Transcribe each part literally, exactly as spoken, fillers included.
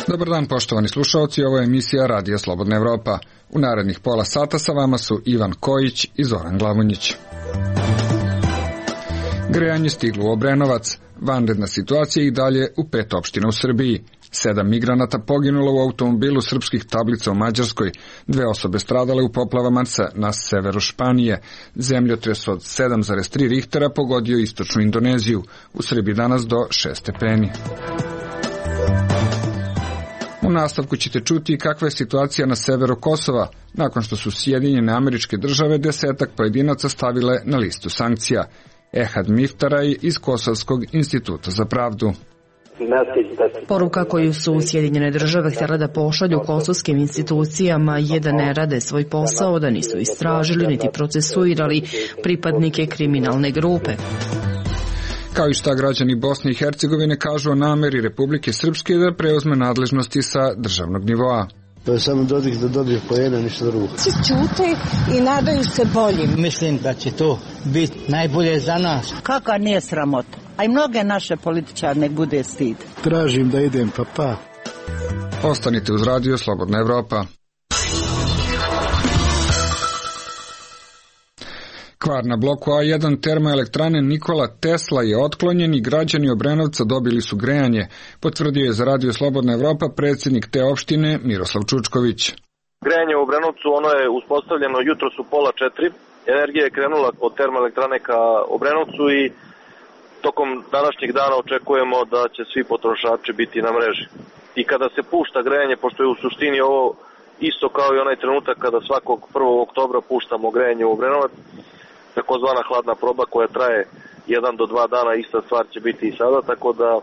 Dobar dan, poštovani slušalci, ovo je emisija Radija Slobodna Evropa. U narednih pola sata sa vama su Ivan Kojić i Zoran Glavonjić. Grejanje stiglo u Obrenovac, vanredna situacija i dalje u pet opština u Srbiji. Sedam migranata poginulo u automobilu srpskih tablica u Mađarskoj, dve osobe stradale u poplavama na severu Španije. Zemljotres od sedam zarez tri Richtera pogodio istočnu Indoneziju, u Srbiji danas do šest stepeni. U nastavku ćete čuti kakva je situacija na severu Kosova, nakon što su Sjedinjene Američke Države desetak pojedinaca stavile na listu sankcija. Ehad Miftaraj iz Kosovskog instituta za pravdu. Poruka koju su Sjedinjene Države htjela da pošalju kosovskim institucijama je da ne rade svoj posao, da nisu istražili niti procesuirali pripadnike kriminalne grupe. Kao i šta građani Bosne i Hercegovine kažu o nameri Republike Srpske da preuzme nadležnosti sa državnog nivoa. To je samo Dodik da dobije poena, ništa drugo. Svi ćute i nadaju se boljim. Mislim da će to biti najbolje za nas. Kaka nije sramota? A i mnoge naše političare nek bude stid. Tražim da idem, pa pa. Ostanite uz Radio Slobodna Evropa. Kvar na bloku A jedan termoelektrane Nikola Tesla je otklonjen i građani Obrenovca dobili su grejanje, potvrdio je za Radio Slobodna Evropa predsjednik te opštine Miroslav Čučković. Grejanje u Obrenovcu ono je uspostavljeno jutros u pola četiri, energija je krenula od termoelektrane ka Obrenovcu i tokom današnjeg dana očekujemo da će svi potrošači biti na mreži. I kada se pušta grejanje, pošto je u suštini ovo isto kao i onaj trenutak kada svakog prvog oktobra puštamo grejanje u Obrenovac, takozvana hladna proba koja traje jedan do dva dana, ista stvar će biti i sada, tako da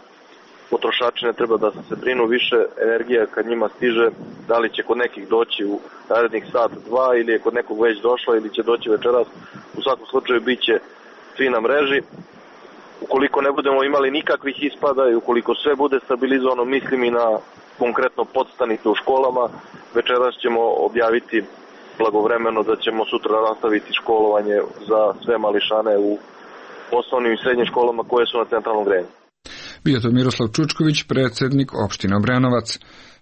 potrošači ne treba da se brinu više, energija kad njima stiže, da li će kod nekih doći u narednih sat, dva, ili je kod nekog već došla, ili će doći večeras, u svakom slučaju bit će svi na mreži. Ukoliko ne budemo imali nikakvih ispada i ukoliko sve bude stabilizovano, mislim i na konkretno podstanice u školama, večeras ćemo objaviti blagovremeno da ćemo sutra nastaviti školovanje za sve mališane u osnovnim i srednjim školama koje su na centralnom grejanju. Bio to Miroslav Čučković, predsjednik opštine Obrenovac.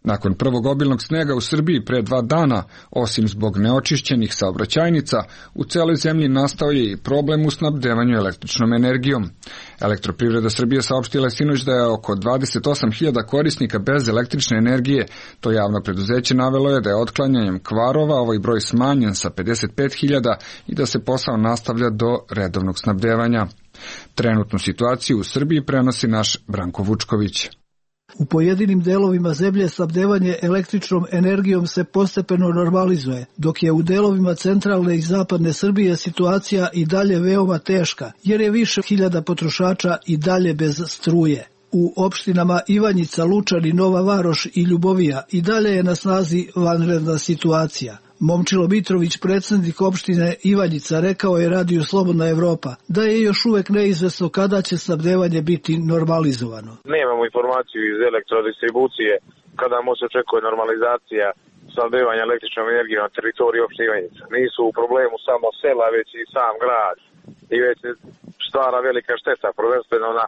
Nakon prvog obilnog snega u Srbiji pre dva dana, osim zbog neočišćenih saobraćajnica, u celoj zemlji nastao je i problem u snabdevanju električnom energijom. Elektroprivreda Srbije saopštila je sinoć da je oko dvadeset osam hiljada korisnika bez električne energije. To javno preduzeće navelo je da je otklanjanjem kvarova ovaj broj smanjen sa pedeset pet hiljada i da se posao nastavlja do redovnog snabdevanja. Trenutnu situaciju u Srbiji prenosi naš Branko Vučković. U pojedinim delovima zemlje snabdevanje električnom energijom se postepeno normalizuje, dok je u delovima centralne i zapadne Srbije situacija i dalje veoma teška, jer je više hiljada potrošača i dalje bez struje. U opštinama Ivanjica, Lučani, Nova Varoš i Ljubovija i dalje je na snazi vanredna situacija. Momčilo Mitrović, predsjednik opštine Ivanjica, rekao je Radiju Slobodna Evropa da je još uvek neizvesno kada će snabdevanje biti normalizovano. Nemamo informaciju iz elektrodistribucije kada može se očekuje normalizacija snabdevanja električnom energijom na teritoriji opštine Ivanjica. Nisu u problemu samo sela, već i sam grad. I već stvara velika šteta, prvenstveno na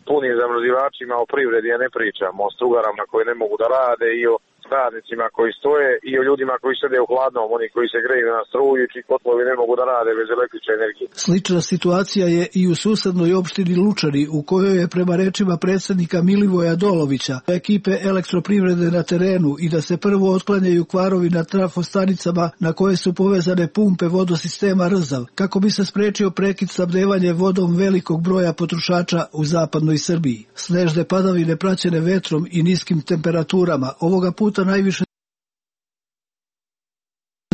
punim zamrzivačima, o privredi ja ne pričamo, o strugarama koji ne mogu da rade i o radnicima koji stoje i o ljudima koji sede u hladnom, oni koji se greju na struju i čiji kotlovi ne mogu da rade bez električne energije. Slična situacija je i u susednoj opštini Lučani, u kojoj je prema rečima predsjednika Milivoja Dolovića ekipe elektroprivrede na terenu i da se prvo otklanjaju kvarovi na trafostanicama na koje su povezane pumpe vodosistema Rzav, kako bi se sprečio prekid snabdevanja vodom velikog broja potrošača u zapadnoj Srbiji. Snežne padavine praćene vetrom i niskim temperaturama ovoga puta najviše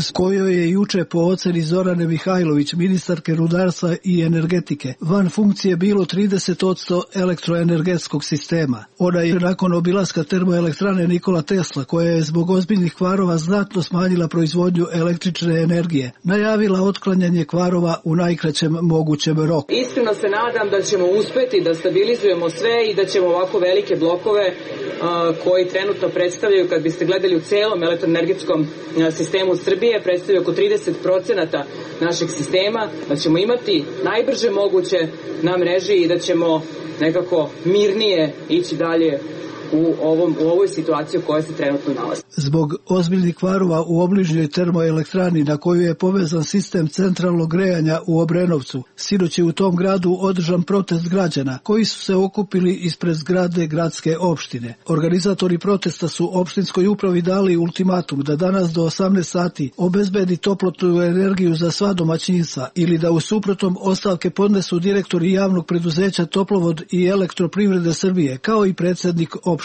s kojoj je juče po oceni Zorane Mihajlović, ministarke rudarstva i energetike, van funkcije bilo trideset posto elektroenergetskog sistema. Ona je nakon obilaska termoelektrane Nikola Tesla, koja je zbog ozbiljnih kvarova znatno smanjila proizvodnju električne energije, najavila otklanjanje kvarova u najkraćem mogućem roku. Iskreno se nadam da ćemo uspeti da stabilizujemo sve i da ćemo ovako velike blokove koji trenutno predstavljaju, kad biste gledali u celom elektroenergetskom sistemu Srbije, predstavljaju oko trideset procenata našeg sistema, da ćemo imati najbrže moguće na mreži i da ćemo nekako mirnije ići dalje u, ovom, u ovoj situaciji u kojoj se trenutno nalazi. Zbog ozbiljnih kvarova u obližnjoj termoelektrani na koju je povezan sistem centralnog grejanja u Obrenovcu, sinoć je u tom gradu održan protest građana koji su se okupili ispred zgrade gradske opštine. Organizatori protesta su opštinskoj upravi dali ultimatum da danas do osamnaest sati obezbedi toplotnu energiju za sva domaćinstva ili da u suprotnom ostavke podnesu direktori javnog preduzeća Toplovod i Elektroprivrede Srbije, kao i predsjednik opštine.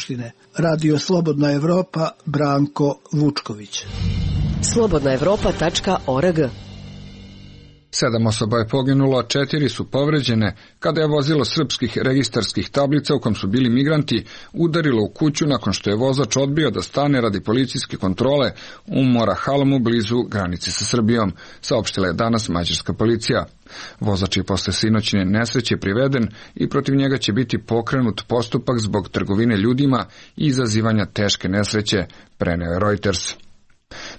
Radio Slobodna Evropa, Branko Vučković. slobodna evropa tačka org. Sedam osoba je poginulo, a četiri su povređene kada je vozilo srpskih registarskih tablica u kom su bili migranti udarilo u kuću nakon što je vozač odbio da stane radi policijske kontrole u Morahalmu blizu granice sa Srbijom, saopštila je danas mađarska policija. Vozač je posle sinoćne nesreće priveden i protiv njega će biti pokrenut postupak zbog trgovine ljudima i izazivanja teške nesreće, preneo je Reuters.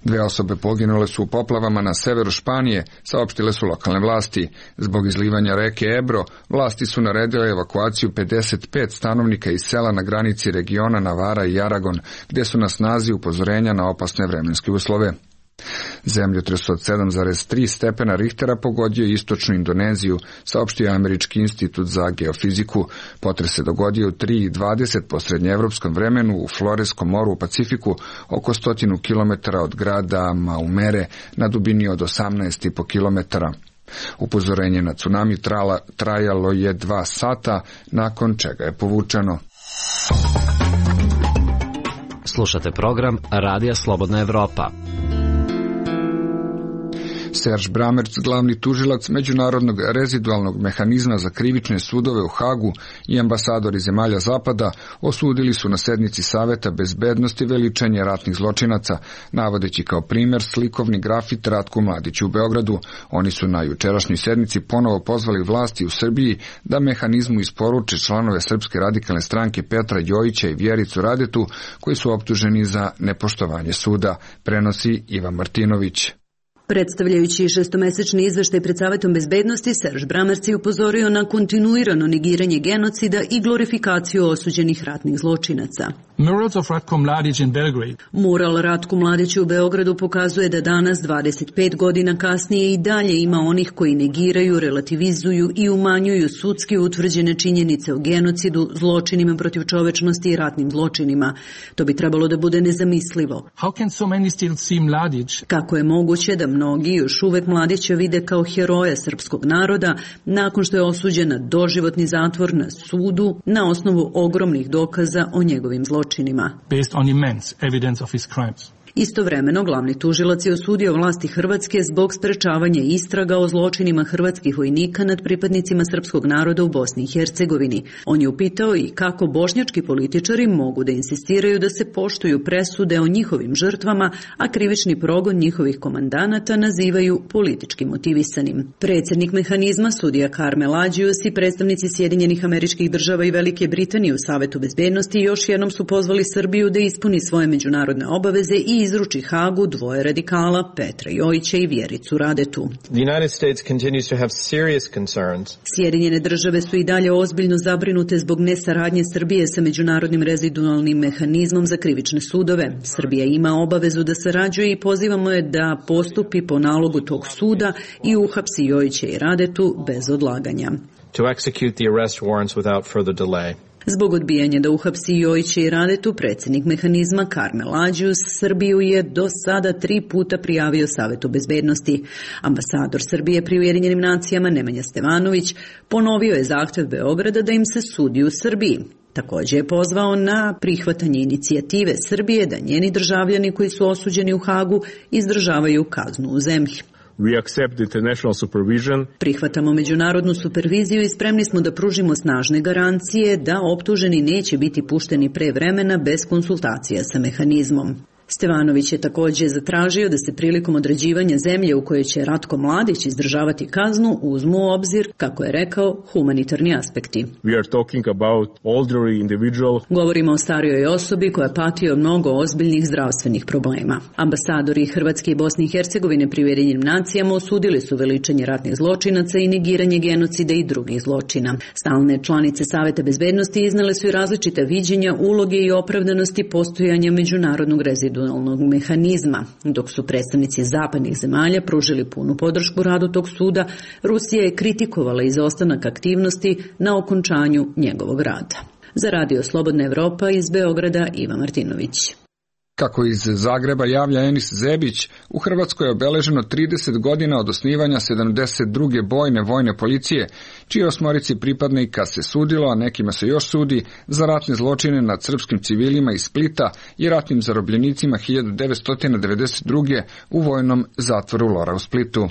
Dve osobe poginule su u poplavama na severu Španije, saopštile su lokalne vlasti. Zbog izlivanja reke Ebro, vlasti su naredile evakuaciju pedeset pet stanovnika iz sela na granici regiona Navara i Aragon, gde su na snazi upozorenja na opasne vremenske uslove. Zemljotres od sedam zarez tri stepena Richtera pogodio je istočnu Indoneziju, saopštio Američki institut za geofiziku. Potres se dogodio u tri i dvadeset po srednjeevropskom vremenu u Floreskom moru u Pacifiku, oko stotinu kilometara od grada Maumere, na dubini od osamnaest i po kilometara. Upozorenje na tsunami trala, trajalo je dva sata, nakon čega je povučeno. Slušate program Radija Slobodna Evropa. Serge Bramerc, glavni tužilac Međunarodnog rezidualnog mehanizma za krivične sudove u Hagu i ambasadori zemalja Zapada osudili su na sednici Saveta bezbednosti veličanje ratnih zločinaca, navodeći kao primjer slikovni grafit Ratku Mladiću u Beogradu. Oni su na jučerašnjoj sednici ponovo pozvali vlasti u Srbiji da mehanizmu isporuče članove Srpske radikalne stranke Petra Jojića i Vjericu Radetu, koji su optuženi za nepoštovanje suda, prenosi Ivan Martinović. Predstavljajući šestomesečni izveštaj pred Savetom bezbednosti, Serge Bramerc je upozorio na kontinuirano negiranje genocida i glorifikaciju osuđenih ratnih zločinaca. Mural Ratku Mladiću u Beogradu pokazuje da danas, dvadeset pet godina kasnije, i dalje ima onih koji negiraju, relativizuju i umanjuju sudski utvrđene činjenice o genocidu, zločinima protiv čovečnosti i ratnim zločinima. To bi trebalo da bude nezamislivo. Kako je moguće da mnogi još uvek Mladića vide kao heroja srpskog naroda nakon što je osuđen na doživotni zatvor na sudu na osnovu ogromnih dokaza o njegovim zločinima. Based on immense evidence of his crimes. Istovremeno, glavni tužilac je osudio vlasti Hrvatske zbog sprečavanja istraga o zločinima hrvatskih vojnika nad pripadnicima srpskog naroda u Bosni i Hercegovini. On je upitao i kako bošnjački političari mogu da insistiraju da se poštuju presude o njihovim žrtvama, a krivični progon njihovih komandanata nazivaju politički motivisanim. Predsjednik mehanizma, sudija Karmel Adžius i predstavnici Sjedinjenih Američkih Država i Velike Britanije u Savetu bezbednosti još jednom su pozvali Srbiju da ispuni svoje međunarodne obaveze i izruči Hagu dvoje radikala, Petra Jojića i Vjericu Radetu. Sjedinjene države su i dalje ozbiljno zabrinute zbog nesaradnje Srbije sa Međunarodnim rezidualnim mehanizmom za krivične sudove. Srbija ima obavezu da sarađuje i pozivamo je da postupi po nalogu tog suda i uhapsi Jojića i Radetu bez odlaganja. To execute the arrest warrants without further delay. Zbog odbijanja da uhapsi Jojića i Radetu, predsjednik mehanizma Karmel Adžius Srbiju je do sada tri puta prijavio Savetu bezbednosti. Ambasador Srbije pri Ujedinjenim nacijama Nemanja Stevanović ponovio je zahtjev Beograda da im se sudi u Srbiji. Također je pozvao na prihvatanje inicijative Srbije da njeni državljani koji su osuđeni u Hagu izdržavaju kaznu u zemlji. We accept international supervision. Prihvatamo međunarodnu superviziju i spremni smo da pružimo snažne garancije da optuženi neće biti pušteni pre vremena bez konsultacija sa mehanizmom. Stevanović je također zatražio da se prilikom određivanja zemlje u kojoj će Ratko Mladić izdržavati kaznu uzmu u obzir, kako je rekao, humanitarni aspekti. We are talking about elderly individual. Govorimo o starijoj osobi koja pati od mnogo ozbiljnih zdravstvenih problema. Ambasadori Hrvatske i Bosne i Hercegovine pri Ujedinjenim nacijama osudili su veličanje ratnih zločinaca i negiranje genocida i drugih zločina. Stalne članice Saveta bezbednosti iznale su i različita viđenja, uloge i opravdanosti postojanja međunarodnog rezidionalnog mehanizma. Dok su predstavnici zapadnih zemalja pružili punu podršku radu tog suda, Rusija je kritikovala izostanak aktivnosti na okončanju njegovog rada. Za Radio Slobodna Evropa iz Beograda Iva Martinović. Kako iz Zagreba javlja Enis Zebić, u Hrvatskoj je obeleženo trideset godina od osnivanja sedamdeset druge bojne vojne policije, čije osmorici pripadnika se sudilo, a nekima se još sudi, za ratne zločine nad srpskim civilima iz Splita i ratnim zarobljenicima hiljadu devetsto devedeset druge u vojnom zatvoru Lora u Splitu.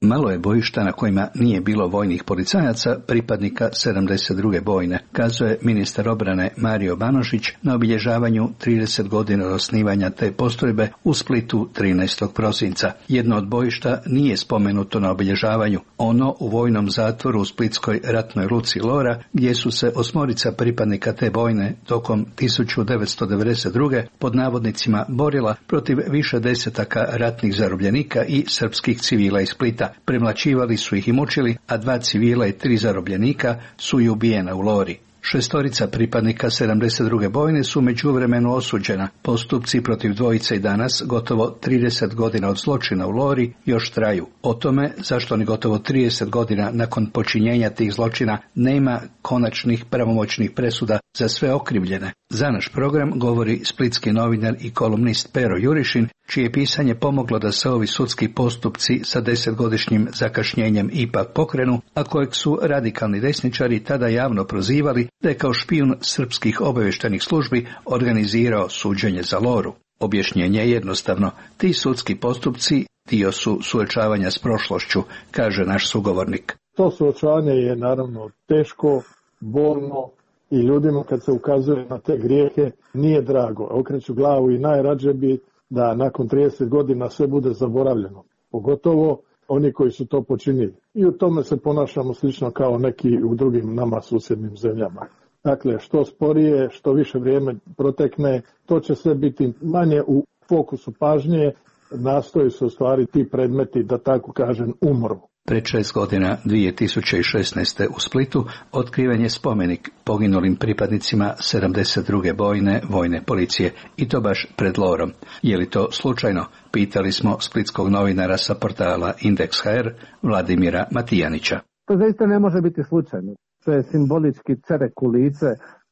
Malo je bojišta na kojima nije bilo vojnih policajaca, pripadnika sedamdeset druge bojne, kazuje ministar obrane Mario Banožić na obilježavanju trideset godina od osnivanja te postrojbe u Splitu trinaestog prosinca. Jedno od bojišta nije spomenuto na obilježavanju, ono u vojnom zatvoru u splitskoj ratnoj luci Lora, gdje su se osmorica pripadnika te bojne tokom hiljadu devetsto devedeset druge pod navodnicima borila protiv više desetaka ratnih zarobljenika i srpskih civila iz Splita. Premlaćivali su ih i mučili, a dva civila i tri zarobljenika su i ubijena u Lori. Šestorica pripadnika sedamdeset druge bojne su međuvremenu osuđena. Postupci protiv dvojice i danas, gotovo trideset godina od zločina u Lori, još traju. O tome zašto ni gotovo trideset godina nakon počinjenja tih zločina nema konačnih pravomoćnih presuda za sve okrivljene. Za naš program govori splitski novinar i kolumnist Pero Jurišin, čije pisanje pomoglo da se ovi sudski postupci sa desetgodišnjim zakašnjenjem ipak pokrenu, a kojeg su radikalni desničari tada javno prozivali da je kao špijun srpskih obavještajnih službi organizirao suđenje za Loru. Objašnjenje je jednostavno, ti sudski postupci dio su suočavanja s prošlošću, kaže naš sugovornik. To suočavanje je naravno teško, bolno i ljudima kad se ukazuje na te grijehe nije drago. Okreću glavu i najrađe bi da nakon trideset godina sve bude zaboravljeno, pogotovo oni koji su to počinili. I u tome se ponašamo slično kao neki u drugim nama susjednim zemljama. Dakle, što sporije, što više vrijeme protekne, to će sve biti manje u fokusu pažnje, nastoji se ostvari ti predmeti, da tako kažem, umru. Pred šest godina, dvije tisuće šesnaeste. u Splitu, otkriven je spomenik poginulim pripadnicima sedamdeset druge bojne vojne policije, i to baš pred Lorom. Je li to slučajno? Pitali smo splitskog novinara sa portala Indeks ha er, Vladimira Matijanića. To zaista ne može biti slučajno. To je simbolički cerek u lice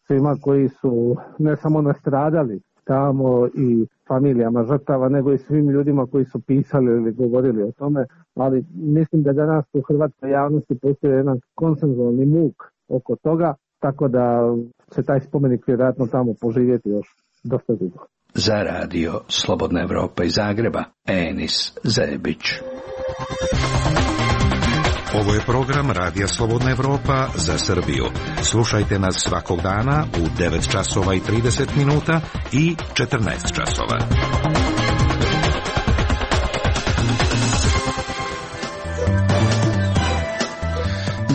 svima koji su ne samo nastradali tamo i familijama žrtava, nego i svim ljudima koji su pisali ili govorili o tome, ali mislim da danas u hrvatskoj javnosti postoji jedan konsenzualni muk oko toga, tako da će taj spomenik vjerojatno tamo poživjeti još dosta dugo. Za Radio Slobodna Evropa iz Zagreba, Enis Zebić. Ovo je program Radija Slobodna Evropa za Srbiju. Slušajte nas svakog dana u devet časova i trideset minuta i četrnaest časova.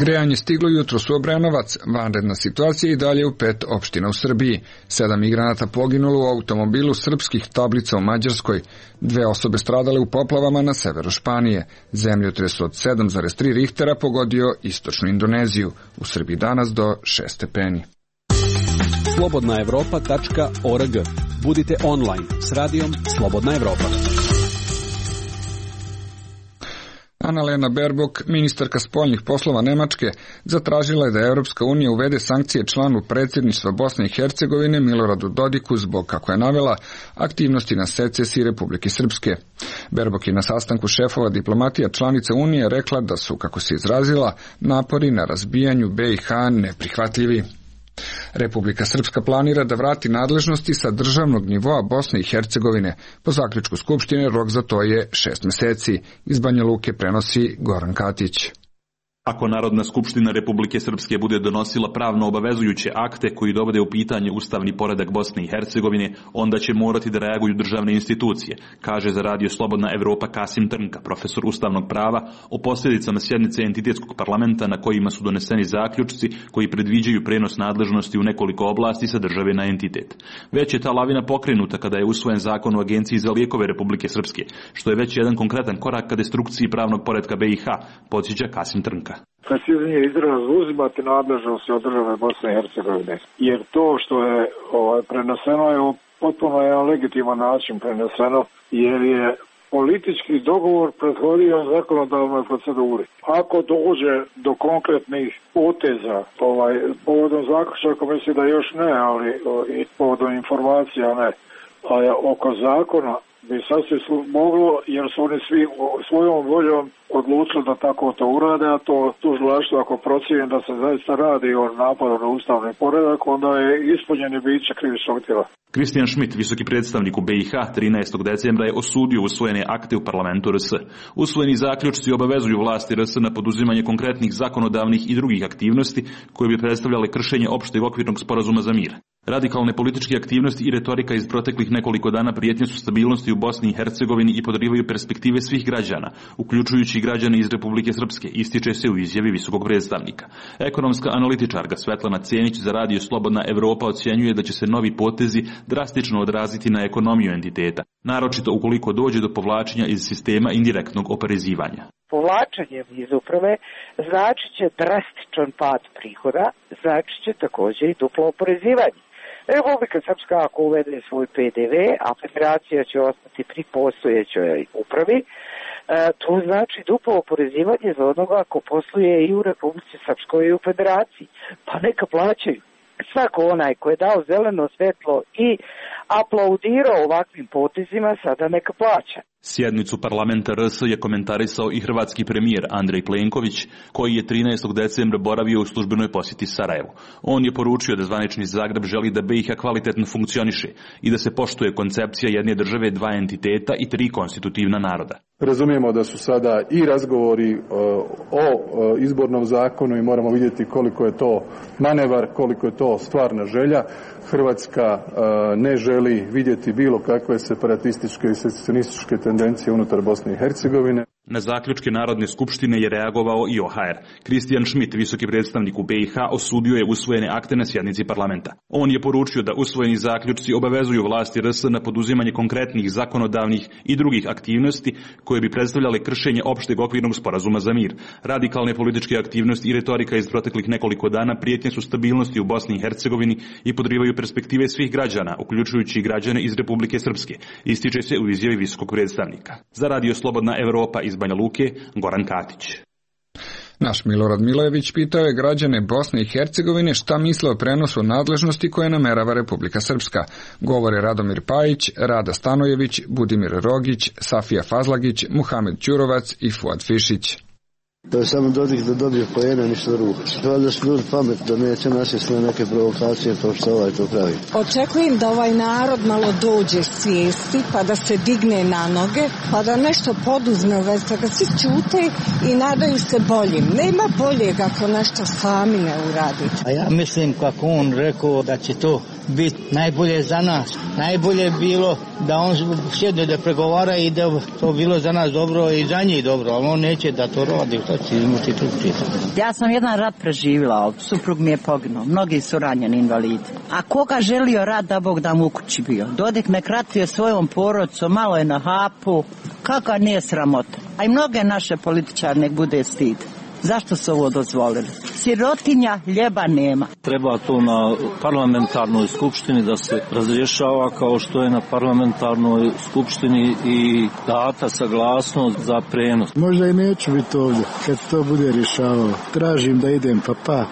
Grejanje stiglo jutros u Obrenovac, vanredna situacija i dalje u pet opština u Srbiji. Sedam migranata poginulo u automobilu srpskih tablica u Mađarskoj. Dve osobe stradale u poplavama na severu Španije. Zemljotres od sedam zarez tri Richtera pogodio istočnu Indoneziju. U Srbiji danas do šest stepeni. slobodna evropa tačka org. Budite online s radijom Slobodna Evropa. Annalena Baerbock, ministarka spoljnih poslova Nemačke, zatražila je da Europska unija uvede sankcije članu predsjedništva Bosne i Hercegovine Miloradu Dodiku zbog, kako je navela, aktivnosti na secesiji Republike Srpske. Baerbock je na sastanku šefova diplomatija članica Unije rekla da su, kako se izrazila, napori na razbijanju be i ha neprihvatljivi. Republika Srpska planira da vrati nadležnosti sa državnog nivoa Bosne i Hercegovine. Po zaključku Skupštine rok za to je šest meseci. Iz Banja Luke prenosi Goran Katić. Ako Narodna skupština Republike Srpske bude donosila pravno obavezujuće akte koji dovode u pitanje ustavni poredak Bosne i Hercegovine, onda će morati da reaguju državne institucije, kaže za Radio Slobodna Evropa Kasim Trnka, profesor ustavnog prava, o posljedicama sjednice entitetskog parlamenta na kojima su doneseni zaključci koji predviđaju prenos nadležnosti u nekoliko oblasti sa države na entitet. Već je ta lavina pokrenuta kada je usvojen zakon o Agenciji za lijekove Republike Srpske, što je već jedan konkretan korak ka destrukciji pravnog poretka B i H, podsjeća Kasim Trnka. Preciznije izraz uzimati nadležnosti od države Bosne i Hercegovine, jer to što je ovaj, preneseno je potpuno jedan legitiman način preneseno, jer je politički dogovor prethodio zakonodavnoj proceduri. Ako dođe do konkretnih poteza, ovaj, povodom zaključaka mislim da još ne, ali i povodom informacija ne, a oko zakona bi sasvim moglo, jer su oni svi svojom voljom odlučili da tako to urade, a to tužilaštvo ako procijeni da se zaista radi o napadu na ustavni poredak, onda je ispunjeni biće krivičnog djela. Kristijan Schmidt, visoki predstavnik u B i H, trinaestog decembra je osudio usvojene akte u parlamentu R S. Usvojeni zaključci obavezuju vlasti R S na poduzimanje konkretnih zakonodavnih i drugih aktivnosti koje bi predstavljale kršenje opšteg okvirnog sporazuma za mir. Radikalne političke aktivnosti i retorika iz proteklih nekoliko dana prijetnje su stabilnosti u Bosni i Hercegovini i podrivaju perspektive svih građana, uključujući i građane iz Republike Srpske, ističe se u izjavi visokog predstavnika. Ekonomska analitičarka Svetlana Cenić za Radio Slobodna Evropa ocjenjuje da će se novi potezi drastično odraziti na ekonomiju entiteta, naročito ukoliko dođe do povlačenja iz sistema indirektnog oporezivanja. Povlačenjem iz uprave znači će drastičan pad prihoda, znači će također i duplo oporezivanje. Republika Srpska ako uvede svoj P D V, a federacija će ostati pri postojećoj upravi, to znači duplo oporezivanje za onoga ako posluje i u Republici Srpskoj i u federaciji. Pa neka plaćaju. Svako onaj ko je dao zeleno svetlo i aplaudirao ovakvim potezima, sada neka plaća. Sjednicu parlamenta R S je komentarisao i hrvatski premijer Andrej Plenković, koji je trinaestog decembra boravio u službenoj posjeti Sarajevu. On je poručio da zvanični Zagreb želi da B i H kvalitetno funkcioniše i da se poštuje koncepcija jedne države, dva entiteta i tri konstitutivna naroda. Razumijemo da su sada i razgovori o izbornom zakonu i moramo vidjeti koliko je to manevar, koliko je to stvarna želja. Hrvatska ne želi vidjeti bilo kakve separatističke i secesionističke tendencije unutar Bosne i Hercegovine. Na zaključke Narodne skupštine je reagovao i O H R. Kristijan Schmidt, visoki predstavnik u B i H, osudio je usvojene akte na sjednici parlamenta. On je poručio da usvojeni zaključci obavezuju vlasti R S na poduzimanje konkretnih zakonodavnih i drugih aktivnosti koje bi predstavljale kršenje opšteg okvirnog sporazuma za mir. Radikalne političke aktivnosti i retorika iz proteklih nekoliko dana prijetnje su stabilnosti u Bosni i Hercegovini i podrivaju perspektive svih građana, uključujući i građane iz Republike Srpske, ističe se u izjavi visokog predstavnika. Za Radio Slobodna Evropa iz Banja Luke, Goran Katić. Naš Milorad Milojević pitao je građane Bosne i Hercegovine šta misle o prenosu nadležnosti koje namerava Republika Srpska. Govore Radomir Pajić, Rada Stanojević, Budimir Rogić, Safija Fazlagić, Muhamed Ćurovac i Fuad Fišić. To je samo Dodik da dobije pojena, ništa drugo. Valjda su ljudi pamet da neće nasjesti na neke provokacije kao što ovaj to pravi. Očekujem da ovaj narod malo dođe svijesti, pa da se digne na noge, pa da nešto poduzme u vezi toga. Svi ćute i nadaju se boljim. Nema boljeg ako nešto sami ne uradite. A ja mislim kako on rekao da će to biti najbolje za nas. Najbolje bilo da on sjedne da pregovara i da to bilo za nas dobro i za njih dobro, ali on neće da to radi. Ja sam jedan rat preživjela, suprug mi je poginuo, mnogi su ranjeni invalidi. A koga želio rat da Bog da mu u kući bio? Dodik nek ratuje svojom porodicom, malo je na hapu, kakva nije sramota. A i mnoge naše političare nek bude stid. Zašto su ovo dozvolili? Sirotinja ljeba nema. Treba to na parlamentarnoj skupštini da se razrješava kao što je na parlamentarnoj skupštini i data saglasnost za prenos. Možda i neću biti ovdje kad to bude rješavao. Tražim da idem pa pa.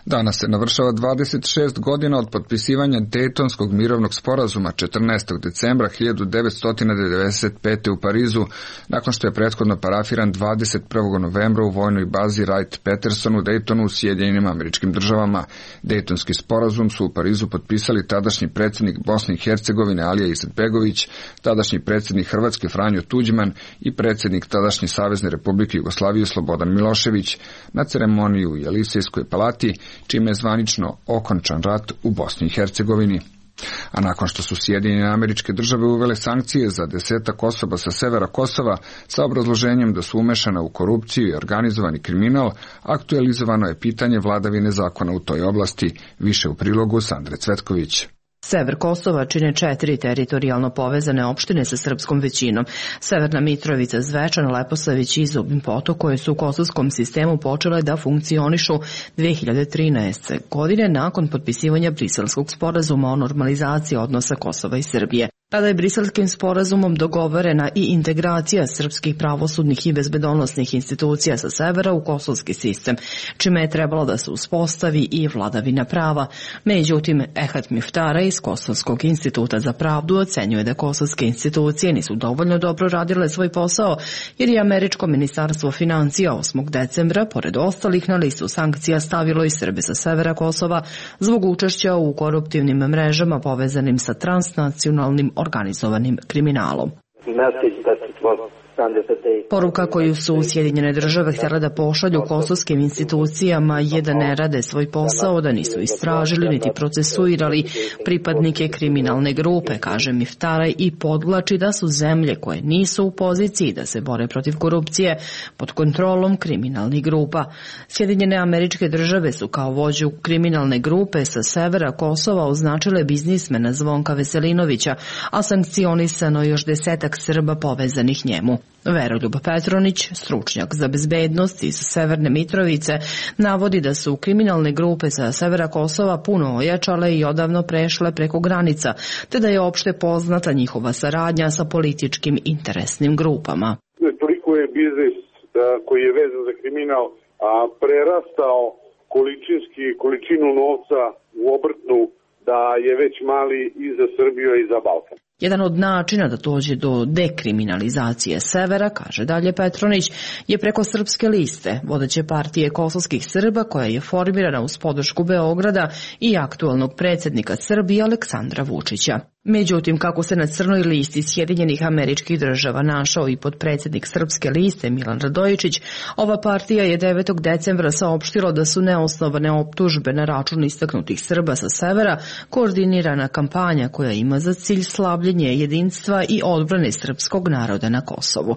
Danas se navršava dvadeset šest godina od potpisivanja Dejtonskog mirovnog sporazuma četrnaestog decembra hiljadu devetsto devedeset pete. u Parizu, nakon što je prethodno parafiran dvadeset prvog novembra u vojnoj bazi Wright-Patterson u Dejtonu u Sjedinjenim Američkim Državama. Dejtonski sporazum su u Parizu potpisali tadašnji predsjednik Bosne i Hercegovine Alija Izetbegović, tadašnji predsjednik Hrvatske Franjo Tuđman i predsjednik tadašnje Savezne Republike Jugoslavije Slobodan Milošević na ceremoniji u Jelisejskoj palati, čime je zvanično okončan rat u Bosni i Hercegovini. A nakon što su Sjedinjene Američke Države uvele sankcije za desetak osoba sa severa Kosova sa obrazloženjem da su umešana u korupciju i organizovani kriminal, aktualizovano je pitanje vladavine zakona u toj oblasti, više u prilogu Sandre Cvetković. Sever Kosova čine četiri teritorijalno povezane opštine sa srpskom većinom. Severna Mitrovica, Zvečan, Leposavić i Zubin Potok, koje su u kosovskom sistemu počele da funkcionišu dve hiljade trinaeste. godine nakon potpisivanja Briselskog sporazuma o normalizaciji odnosa Kosova i Srbije. Tada je Briselskim sporazumom dogovorena i integracija srpskih pravosudnih i bezbedonosnih institucija sa severa u kosovski sistem, čime je trebalo da se uspostavi i vladavina prava. Međutim, Ehad Miftara iz Kosovskog instituta za pravdu ocenjuje da kosovske institucije nisu dovoljno dobro radile svoj posao, jer je američko ministarstvo financija osmog decembra, pored ostalih, na listu sankcija stavilo i Srbe sa severa Kosova zbog učešća u koruptivnim mrežama povezanim sa transnacionalnim organizovanim kriminalom. Poruka koju su Sjedinjene Države htjela da pošalju kosovskim institucijama je da ne rade svoj posao, da nisu istražili niti procesuirali pripadnike kriminalne grupe, kaže Miftaraj, i podvlači da su zemlje koje nisu u poziciji da se bore protiv korupcije pod kontrolom kriminalnih grupa. Sjedinjene Američke Države su kao vođu kriminalne grupe sa severa Kosova označile biznismena Zvonka Veselinovića, a sankcionisano još desetak Srba povezanih njemu. Veroljub Petronić, stručnjak za bezbednost iz Severne Mitrovice, navodi da su kriminalne grupe sa severa Kosova puno ojačale i odavno prešle preko granica, te da je opšte poznata njihova saradnja sa političkim interesnim grupama. Toliko je biznis koji je vezan za kriminal a prerastao količinski količinu novca u obrtnu da je već mali i za Srbiju i za Balkan. Jedan od načina da dođe do dekriminalizacije severa, kaže dalje Petronić, je preko Srpske liste, vodeće partije kosovskih Srba, koja je formirana uz podršku Beograda i aktualnog predsjednika Srbije Aleksandra Vučića. Međutim, kako se na crnoj listi Sjedinjenih Američkih Država našao i podpredsjednik Srpske liste Milan Radojičić, ova partija je devetog decembra saopštila da su neosnovane optužbe na račun istaknutih Srba sa severa koordinirana kampanja koja ima za cilj slabljenje jedinstva i odbrane srpskog naroda na Kosovu.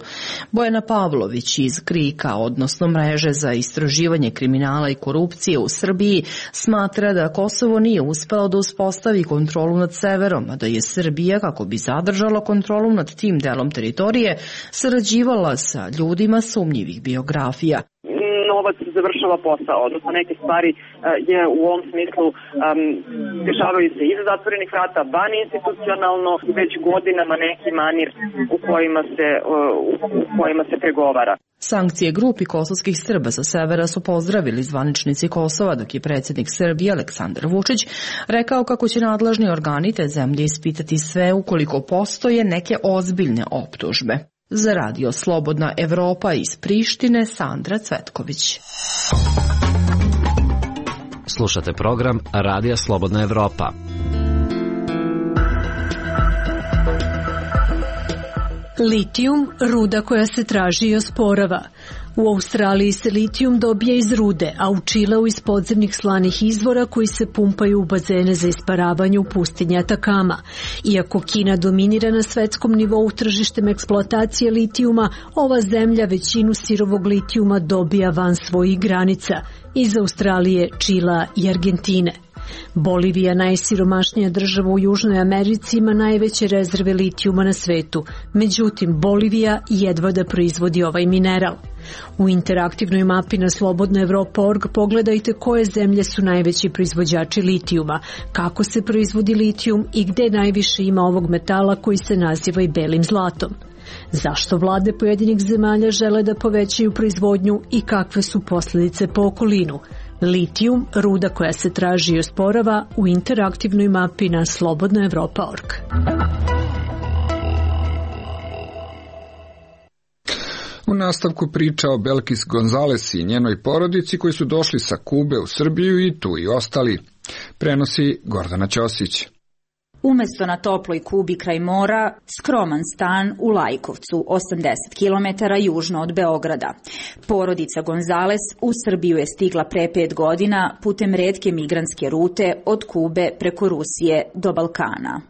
Bojana Pavlović iz Krika, odnosno mreže za istraživanje kriminala i korupcije u Srbiji, smatra da Kosovo nije uspelo da uspostavi kontrolu nad severom, a da je Srbija, kako bi zadržala kontrolu nad tim delom teritorije, sarađivala sa ljudima sumnjivih biografija. Novac završava posao, odnosno neke stvari je u ovom smislu um, dešavaju se iza zatvorenih vrata, van institucionalno, već godinama neki manir u kojima se, u kojima se pregovara. Sankcije grupi kosovskih Srba sa severa su pozdravili zvaničnici Kosova, dok je predsjednik Srbije Aleksandar Vučić rekao kako će nadležni organi te zemlje ispitati sve ukoliko postoje neke ozbiljne optužbe. Za radio Slobodna Evropa iz Prištine, Sandra Cvetković. Slušate program Radija Slobodna Evropa. Litijum, ruda koja se traži i osporava. U Australiji se litijum dobija iz rude, a u Čileu iz podzemnih slanih izvora koji se pumpaju u bazene za isparavanje u pustinji Atakama. Iako Kina dominira na svetskom nivou tržištem eksploatacije litijuma, ova zemlja većinu sirovog litijuma dobija van svojih granica, iz Australije, Čila i Argentine. Bolivija, najsiromašnija država u Južnoj Americi, ima najveće rezerve litijuma na svetu. Međutim, Bolivija jedva da proizvodi ovaj mineral. U interaktivnoj mapi na slobodna evropa tačka org pogledajte koje zemlje su najveći proizvođači litijuma, kako se proizvodi litijum i gde najviše ima ovog metala koji se naziva i belim zlatom. Zašto vlade pojedinih zemalja žele da povećaju proizvodnju i kakve su posljedice po okolinu? Litijum, ruda koja se traži i osporava, u interaktivnoj mapi na slobodna evropa tačka org. U nastavku priča o Belkis Gonzales i njenoj porodici koji su došli sa Kube u Srbiju i tu i ostali. Prenosi Gordana Ćosić. Umesto na toploj Kubi kraj mora, skroman stan u Lajkovcu, osamdeset kilometara južno od Beograda. Porodica Gonzales u Srbiju je stigla pre pet godina putem retke migrantske rute od Kube preko Rusije do Balkana.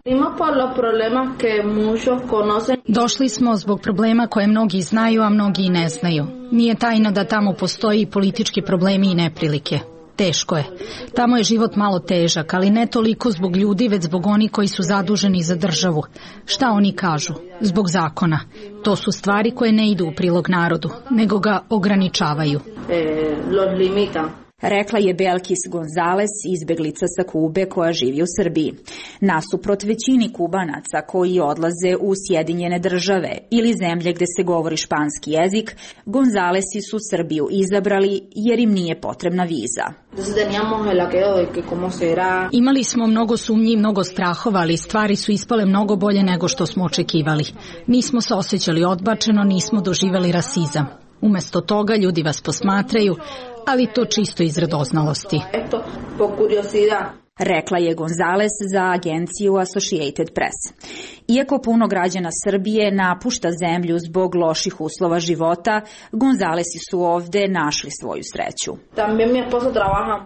Došli smo zbog problema koje mnogi znaju, a mnogi i ne znaju. Nije tajno da tamo postoji i politički problemi i neprilike. Teško je. Tamo je život malo težak, ali ne toliko zbog ljudi, već zbog onih koji su zaduženi za državu. Šta oni kažu? Zbog zakona. To su stvari koje ne idu u prilog narodu, nego ga ograničavaju. Rekla je Belkis Gonzales, izbeglica sa Kube koja živi u Srbiji. Nasuprot većini Kubanaca koji odlaze u Sjedinjene države ili zemlje gde se govori španski jezik, Gonzalesi su Srbiju izabrali jer im nije potrebna viza. Imali smo mnogo sumnji i mnogo strahova, ali stvari su ispale mnogo bolje nego što smo očekivali. Nismo se osjećali odbačeno, nismo doživjeli rasizam. Umesto toga ljudi vas posmatraju, ali to čisto iz radoznalosti. Rekla je Gonzales za agenciju Associated Press. Iako puno građana Srbije napušta zemlju zbog loših uslova života, Gonzalesi su ovde našli svoju sreću.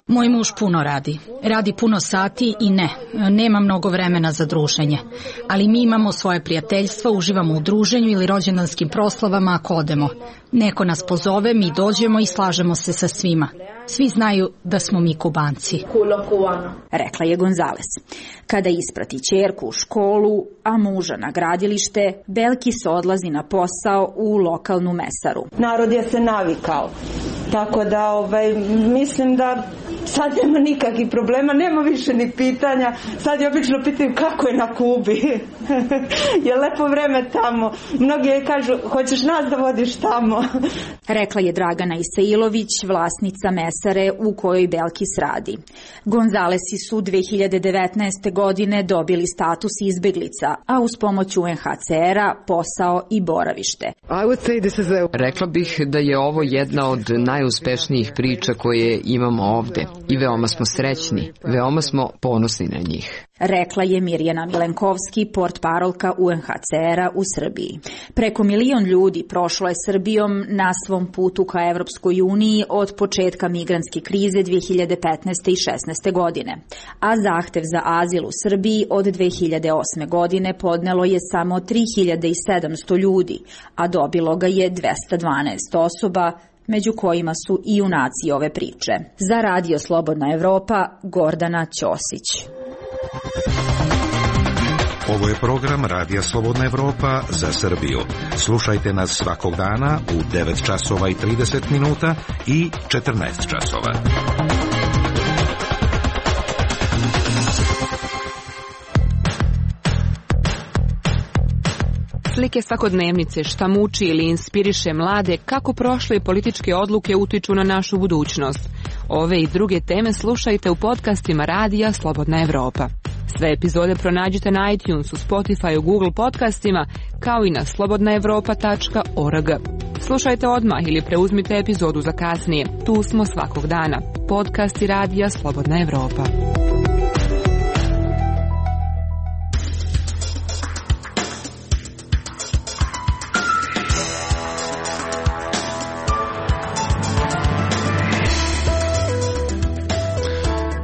Moj muž puno radi. Radi puno sati i ne, nema mnogo vremena za druženje. Ali mi imamo svoje prijateljstvo, uživamo u druženju ili rođendanskim proslavama ako odemo. Neko nas pozove, mi dođemo i slažemo se sa svima. Svi znaju da smo mi Kubanci. Rekla je Gonzales. Kada isprati ćerku u školu, a muža na gradilište, Belkis odlazi na posao u lokalnu mesaru. Narod je se navikao, tako da ovaj, mislim da sad nema nikakvih problema, nema više ni pitanja. Sad je obično pitaju kako je na Kubi. Je lepo vreme tamo. Mnogi je kažu, hoćeš nas da vodiš tamo. Rekla je Dragana Isailović, vlasnica mesare u kojoj Belkis radi. Gonzalesi su dve hiljade devetnaeste. godine dobili status izbeglica, a uz pomoć U N H C R-a posao i boravište. Rekla bih da je ovo jedna od najuspešnijih priča koje imamo ovde i veoma smo srećni, veoma smo ponosni na njih. Rekla je Mirjana Milenkovski, portparolka U N H C R-a u Srbiji. Preko milion ljudi prošlo je Srbijom na svom putu ka Evropskoj uniji od početka migrantske krize dve hiljade petnaeste. i šesnaeste. godine, a zahtev za azil u Srbiji od dve hiljade osme. godine podnelo je samo tri hiljade sedamsto ljudi, a dobilo ga je dvesta dvanaest osoba, među kojima su i junaci ove priče. Za Radio Slobodna Evropa, Gordana Ćosić. Ovo je program Radija Slobodna Evropa za Srbiju. Slušajte nas svakog dana u devet časova i trideset minuta i četrnaest časova. Slike svakodnevnice, šta muči ili inspiriše mlade, kako prošle političke odluke utiču na našu budućnost. Ove i druge teme slušajte u podcastima Radija Slobodna Evropa. Sve epizode pronađite na iTunesu, Spotifyu, Google podcastima, kao i na slobodna evropa tačka org. Slušajte odmah ili preuzmite epizodu za kasnije. Tu smo svakog dana. Podcasti Radija Slobodna Evropa.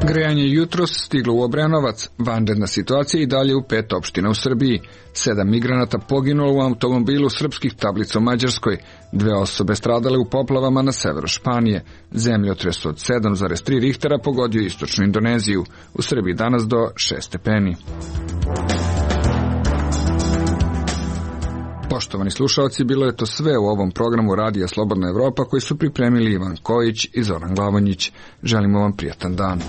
Grejanje jutros stiglo u Obrenovac, vanredna situacija i dalje u pet opština u Srbiji. Sedam migranata poginulo u automobilu srpskih tablica u Mađarskoj, dve osobe stradale u poplavama na severu Španije. Zemljotres od sedam zarez tri Richtera pogodio istočnu Indoneziju, u Srbiji danas do šest stepeni. Poštovani slušalci, bilo je to sve u ovom programu Radija Slobodna Evropa koji su pripremili Ivan Kojić i Zoran Glavonjić. Želimo vam prijatan dan.